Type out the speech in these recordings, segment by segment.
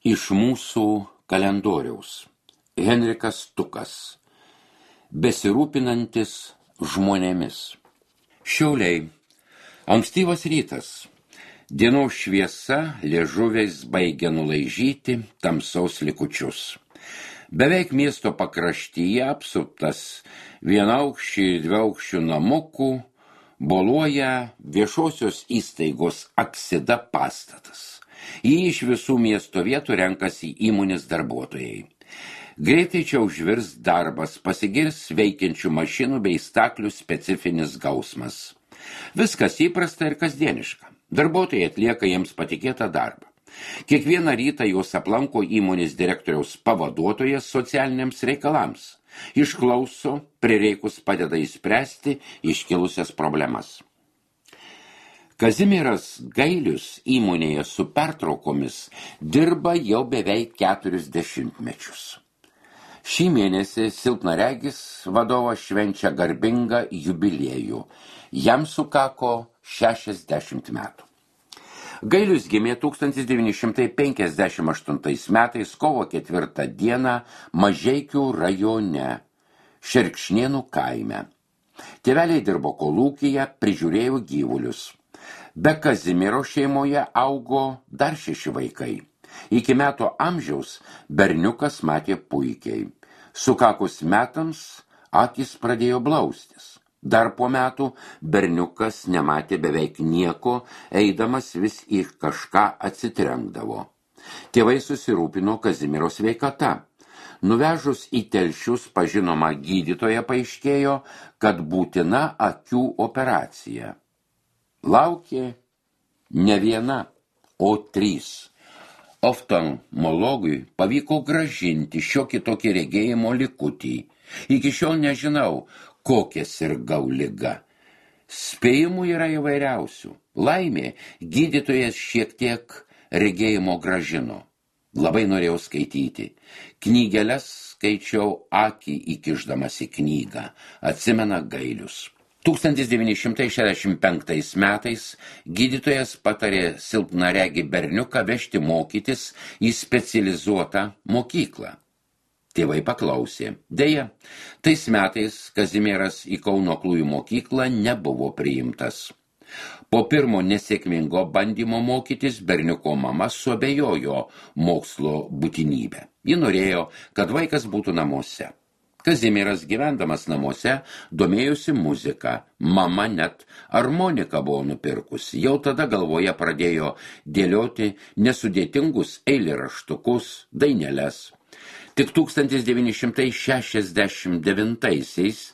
Iš mūsų kalendoriaus. Henrikas Tukas. Besirūpinantis žmonėmis. Šiauliai. Ankstyvas rytas. Dienos šviesa liežuviais baigia nulaižyti tamsaus likučius. Beveik miesto pakraštyje apsuptas vienaukščių ir dviaukščių namukų boluoja viešosios įstaigos Aksida pastatas. Jį iš visų miesto vietų renkasi įmonės darbuotojai. Greitai čia užvirs darbas, pasigirs veikiančių mašinų bei staklių specifinis gausmas. Viskas įprasta ir kasdieniška. Darbuotojai atlieka jiems patikėtą darbą. Kiekvieną rytą juos aplanko įmonės direktoriaus pavaduotojas socialiniams reikalams. Išklauso, prireikus padeda išspręsti iškilusias problemas. Kazimieras Gailius įmonėje su pertraukomis dirba jau beveik 40 mečius. Šį mėnesį silpnaregis vadovas švenčia garbingą jubiliejų. Jam sukako 60 metų. Gailius gimė 1958 metais kovo 4 dieną Mažeikių rajone, Šerkšnėnų kaime. Tėveliai dirbo kolūkyje, prižiūrėjo gyvulius. Be Kazimiero šeimoje augo dar 6 vaikai. Iki metų amžiaus berniukas matė puikiai. Sukakus metams akys pradėjo blaustis. Dar po metų berniukas nematė beveik nieko, eidamas vis į kažką atsitrenkdavo. Tėvai susirūpino Kazimiero sveikata. Nuvežus į Telšius pažinomą gydytoją paaiškėjo, kad būtina akių operacija. Laukė ne viena, o 3. Oftalmologui pavyko grąžinti šiokį tokį regėjimo likutį. Iki šiol nežinau, kokia sirgau liga. Spėjimų yra įvairiausių. Laimė, gydytojas šiek tiek regėjimo grąžino. Labai norėjau skaityti. Knygeles skaičiau akį įkišdamas į knygą, atsimena Gailius. 1965 metais gydytojas patarė silpnaregį berniuką vežti mokytis į specializuotą mokyklą. Tėvai paklausė. Deja, tais metais Kazimieras į Kauno aklųjų mokyklą nebuvo priimtas. Po pirmo nesėkmingo bandymo mokytis berniuko mama suabejojo mokslo būtinybę. Ji norėjo, kad vaikas būtų namuose. Kazimieras gyvendamas namuose domėjosi muziką. Mama net armoniką buvo nupirkusi. Jau tada galvoje pradėjo dėlioti nesudėtingus eilėraštukus, daineles. Tik 1969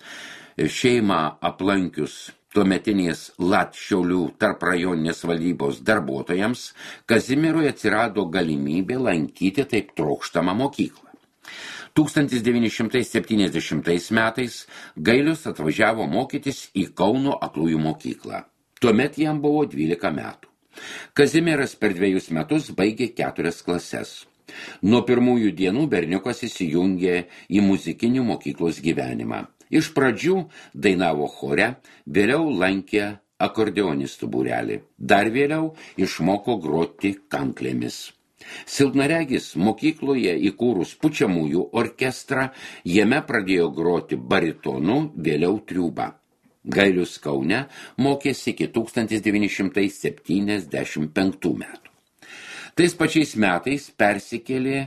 šeimą aplankius tuometinės Latšiaulių tarprajoninės valdybos darbuotojams Kazimierui atsirado galimybė lankyti taip trokštamą mokyklą. 1970 metais Gailius atvažiavo mokytis į Kauno aklųjų mokyklą. Tuomet jam buvo 12 metų. Kazimieras per 2 metus baigė 4 klases. Nuo pirmųjų dienų berniukas įsijungė į muzikinį mokyklos gyvenimą. Iš pradžių dainavo chore, vėliau lankė akordeonistų būrelį. Dar vėliau išmoko groti kanklėmis. Silpnaregis mokykloje įkūrus pučiamųjų orkestrą, jame pradėjo groti baritonu, vėliau triūba. Gailius Kaune mokėsi iki 1975 metų. Tais pačiais metais persikėlė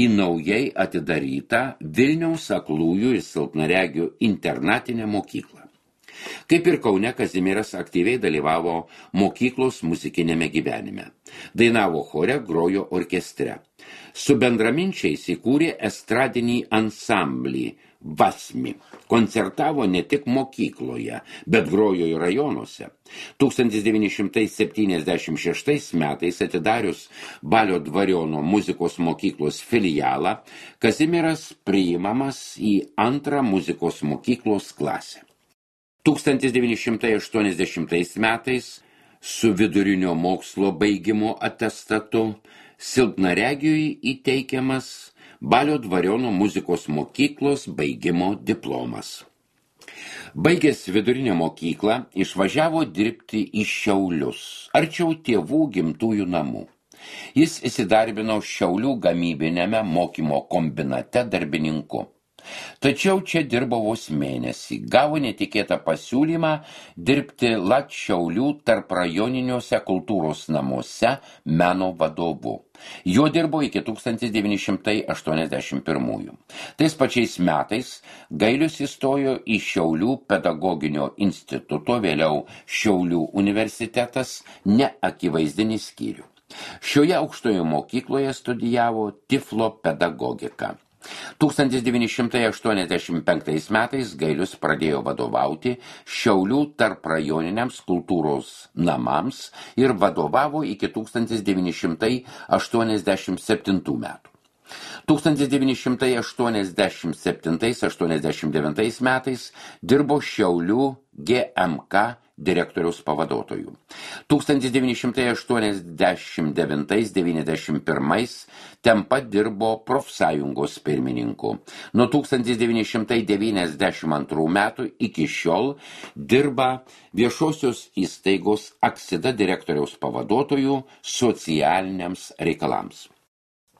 į naujai atidarytą Vilniaus aklųjų ir silpnaregių internatinę mokyklą. Kaip ir Kaune, Kazimieras aktyviai dalyvavo mokyklos muzikinėme gyvenime. Dainavo chore, grojo orkestre. Su bendraminčiais įkūrė estradinį ansamblį Vasmi. Koncertavo ne tik mokykloje, bet grojo ir rajonuose. 1976 metais atidarius Balio Dvariono muzikos mokyklos filialą, Kazimieras priimamas į 2 muzikos mokyklos klasę. 1980 metais su vidurinio mokslo baigimo atestatu silpnaregiui įteikiamas Balio Dvariono muzikos mokyklos baigimo diplomas. Baigęs vidurinę mokyklą, išvažiavo dirbti į Šiaulius, arčiau tėvų gimtųjų namų. Jis įsidarbino Šiaulių gamybinėme mokymo kombinate darbininku. Tačiau čia dirbo vos mėnesį, gavo netikėtą pasiūlymą dirbti Šiaulių tarprajoniniuose kultūros namuose meno vadovu. Jo dirbo iki 1981. Tais pačiais metais Gailius įstojo į Šiaulių pedagoginio instituto, vėliau Šiaulių universitetas, neakivaizdinį skyrių. Šioje aukštojo mokykloje studijavo tiflo pedagogiką. 1985 metais Gailius pradėjo vadovauti Šiaulių tarprajoniniams kultūros namams ir vadovavo iki 1987 metų. 1987–89 metais dirbo Šiaulių GMK direktoriaus pavaduotojų. 1989–91 ten pat dirbo profsąjungos pirmininku. Nuo 1992 metų iki šiol dirba viešosios įstaigos Aksida direktoriaus pavaduotojų socialiniams reikalams.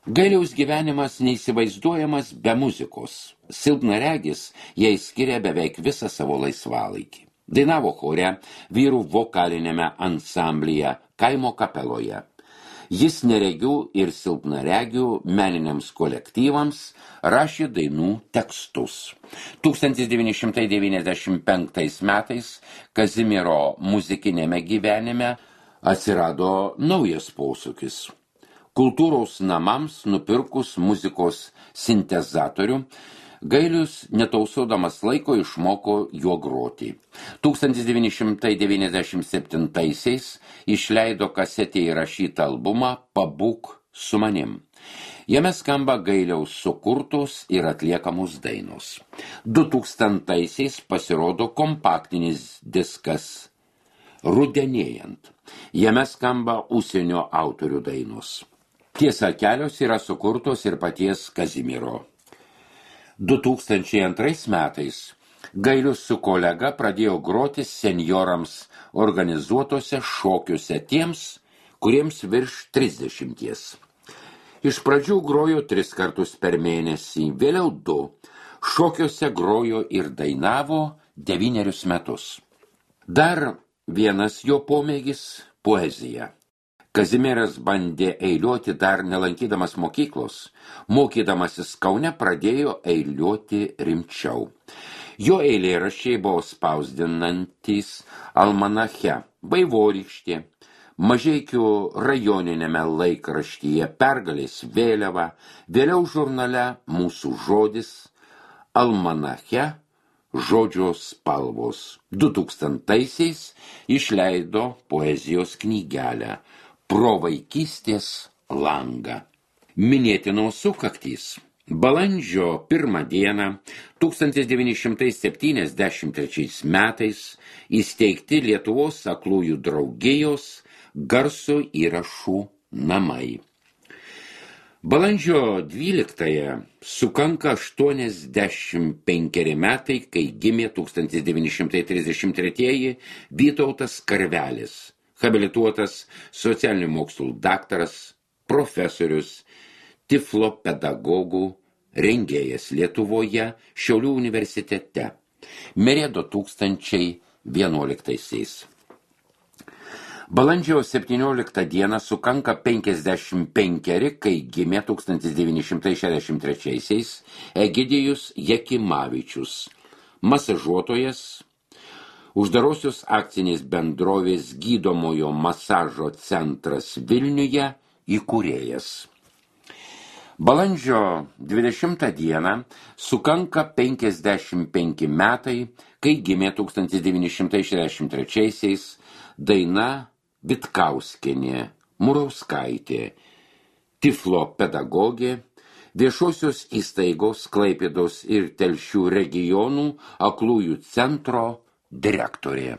Gailiaus gyvenimas neįsivaizduojamas be muzikos. Silpnaregis jai skiria beveik visą savo laisvalaikį. Dainavo chore, vyrų vokalinėme ansamblyje, kaimo kapeloje. Jis neregių ir silpnaregių meniniams kolektyvams rašė dainų tekstus. 1995 metais Kazimiero muzikinėme gyvenime atsirado naujas posūkis. Kultūros namams nupirkus muzikos sintezatorių, Gailius, netausodamas laiko, išmoko juo groti. 1997-aisiais išleido kasetę įrašytą albumą Pabūk su manim. Jame skamba Gailiaus sukurtos ir atliekamos dainos. 2000-aisiais pasirodo kompaktinis diskas Rudenėjant. Jame skamba užsienio autorių dainos. Tiesa, kelios yra sukurtos ir paties Kazimiero. 2002 metais Gailius su kolega pradėjo groti senjorams organizuotose šokiuose tiems, kuriems virš 30. Iš pradžių grojo 3 kartus per mėnesį, vėliau 2. Šokiuose grojo ir dainavo 9 metus. Dar vienas jo pomėgis – poezija. Kazimieras bandė eiliuoti dar nelankydamas mokyklos, mokydamasis Kaune pradėjo eiliuoti rimčiau. Jo eilėraščiai buvo spausdinantys almanache, Vaivorykštė, Mažeikių rajoninėme laikraštyje Pergalės vėliava, vėliau žurnale Mūsų žodis, almanache Žodžio spalvos. 2000-aisiais išleido poezijos knygelę Pro vaikystės langą. Minėtinos sukaktys. Balandžio 1 dieną 1973 metais įsteigti Lietuvos aklųjų draugijos garso įrašų namai. Balandžio 12 sukanka 85 metai, kai gimė 1933 Vytautas Karvelis, habilituotas socialinių mokslų daktaras, profesorius, tiflo pedagogų, rengėjas Lietuvoje, Šiaulių universitete. Mirė 2011. Balandžio 17 dieną sukanka 55, kai gimė 1963 Egidijus Jakimavičius, masažuotojas, uždarosios akcinės bendrovės gydomojo masažo centras Vilniuje įkūrėjas. Balandžio 20 dieną sukanka 55 metai, kai gimė 1963 Daina Vitkauskienė Murauskaitė, tiflo pedagogė, viešosios įstaigos Klaipėdos ir Telšių regionų aklųjų centro direktorė.